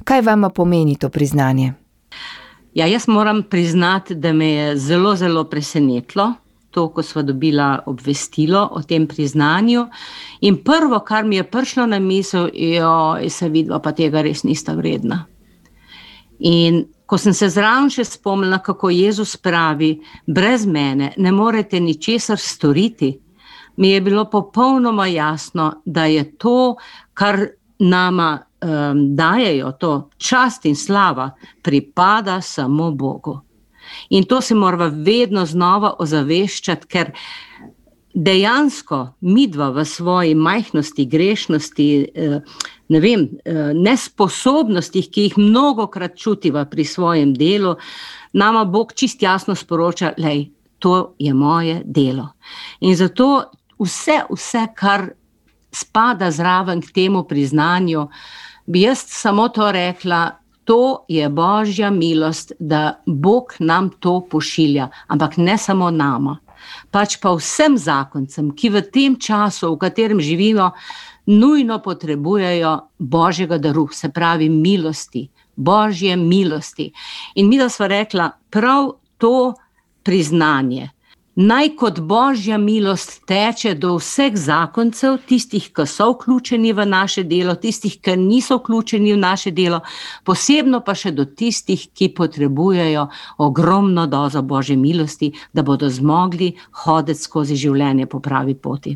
Kaj vama pomeni to priznanje? Ja, jaz moram priznati, da me je zelo, zelo presenetilo to, ko sva dobila obvestilo o tem priznanju. In prvo, kar mi je prišlo na misel, se vidva, pa tega res nista vredna. In ko sem se zraven še spomnila, kako Jezus pravi, brez mene ne morete ničesar storiti, mi je bilo popolnoma jasno, da je to, kar nama dajejo, to čast in slava, pripada samo Bogu. In to se morava vedno znova ozaveščati, ker dejansko midva v svoji majhnosti, grešnosti, nesposobnostih, ki jih mnogokrat čutiva pri svojem delu, nama Bog čist jasno sporoča, lej, to je moje delo. In zato vse, kar spada zraven k temu priznanju, bi jaz samo to rekla, to je Božja milost, da Bog nam to pošilja, ampak ne samo nama, pač pa vsem zakoncem, ki v tem času, v katerem živimo, nujno potrebujejo Božjega daru, se pravi milosti, Božje milosti. In mi da sva rekla, prav to priznanje, naj kot Božja milost teče do vseh zakoncev, tistih, ki so vključeni v naše delo, tistih, ki niso vključeni v naše delo, posebno pa še do tistih, ki potrebujejo ogromno dozo Božje milosti, da bodo zmogli hoditi skozi življenje po pravi poti.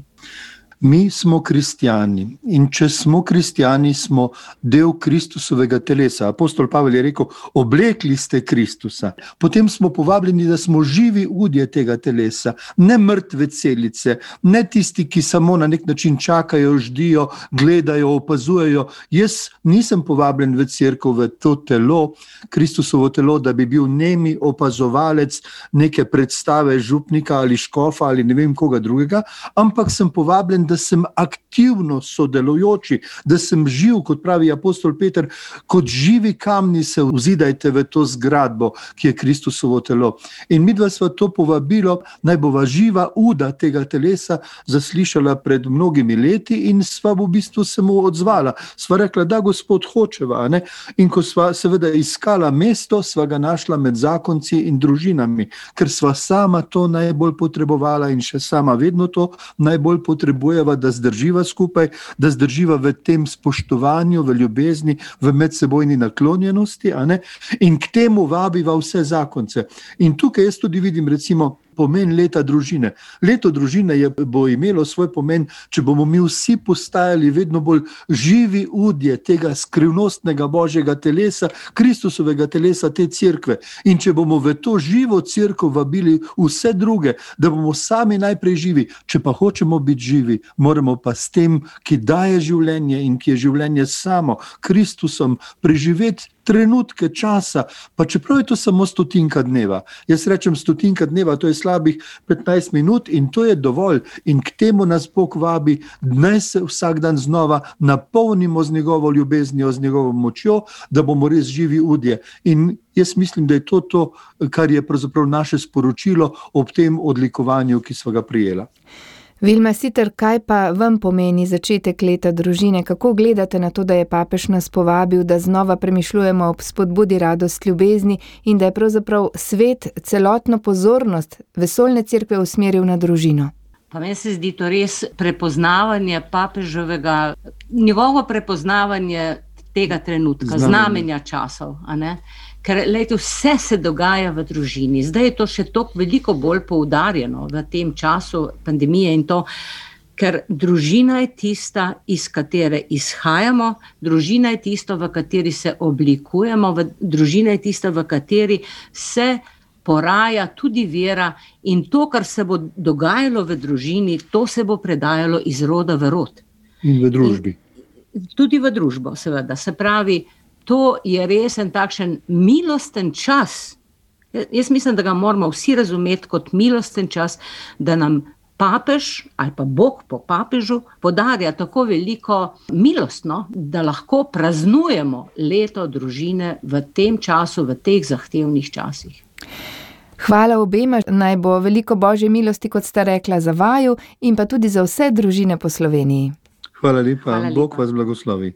Mi smo kristjani in če smo kristjani, smo del Kristusovega telesa. Apostol Pavel je rekel, oblekli ste Kristusa. Potem smo povabljeni, da smo živi udje tega telesa, ne mrtve celice, ne tisti, ki samo na nek način čakajo, ždijo, gledajo, opazujejo. Jaz nisem povabljen v cerkev, v to telo, Kristusovo telo, da bi bil nemi opazovalec neke predstave župnika ali škofa ali ne vem koga drugega, ampak sem povabljen, da sem aktivno sodelujoči, da sem živ, kot pravi apostol Peter, kot živi kamni se vzidajte v to zgradbo, ki je Kristusovo telo. In midva sva to povabilo, naj bova živa uda tega telesa zaslišala pred mnogimi leti in sva v bistvu se mu odzvala. Sva rekla, da Gospod hočeva, ne? In ko sva seveda iskala mesto, sva ga našla med zakonci in družinami, ker sva sama to najbolj potrebovala in še sama vedno to najbolj potrebuje, da zdrživa skupaj, da zdrživa v tem spoštovanju, v ljubezni, v medsebojni naklonjenosti, a ne? In k temu vabiva vse zakonce. In tukaj jaz tudi vidim recimo pomen leta družine. Leto družine bo imelo svoj pomen, če bomo mi vsi postajali vedno bolj živi udje tega skrivnostnega Božjega telesa, Kristusovega telesa, te cerkve. In če bomo v to živo cerkev vabili vse druge, da bomo sami najprej živi, če pa hočemo biti živi, moramo pa s tem, ki daje življenje in ki je življenje samo, Kristusom, preživeti trenutke časa, pa čeprav je to samo 100 dneva. Jaz rečem 100 dneva, to je slabih 15 minut in to je dovolj. In k temu nas Bog vabi, naj se vsak dan znova napolnimo z njegovo ljubeznijo, z njegovo močjo, da bomo res živi udje. In jaz mislim, da je to, kar je pravzaprav naše sporočilo ob tem odlikovanju, ki sva ga prijela. Vilma Siter, kaj pa vam pomeni začetek leta družine? Kako gledate na to, da je papež nas povabil, da znova premišljujemo ob spodbudi radost ljubezni in da je pravzaprav svet celotno pozornost vesoljne cerkve usmeril na družino? Pa meni se zdi to res prepoznavanje papeževega, njegovo prepoznavanje tega trenutka, znamenja časov, a ne? Ker lejte, vse se dogaja v družini. Zdaj je to še toliko veliko bolj poudarjeno v tem času pandemije in to, ker družina je tista, iz katere izhajamo, družina je tisto, v kateri se oblikujemo, družina je tista, v kateri se poraja tudi vera in to, kar se bo dogajalo v družini, to se bo predajalo iz roda v rod. In v družbi. Tudi v družbo, seveda. Se pravi, to je res en takšen milosten čas. Jaz mislim, da ga moramo vsi razumeti kot milosten čas, da nam papež ali pa Bog po papežu podarja tako veliko milostno, da lahko praznujemo leto družine v tem času, v teh zahtevnih časih. Hvala obema, naj bo veliko Božje milosti, kot sta rekla, za vaju in pa tudi za vse družine po Sloveniji. Hvala lepa, Bog vas blagoslovi.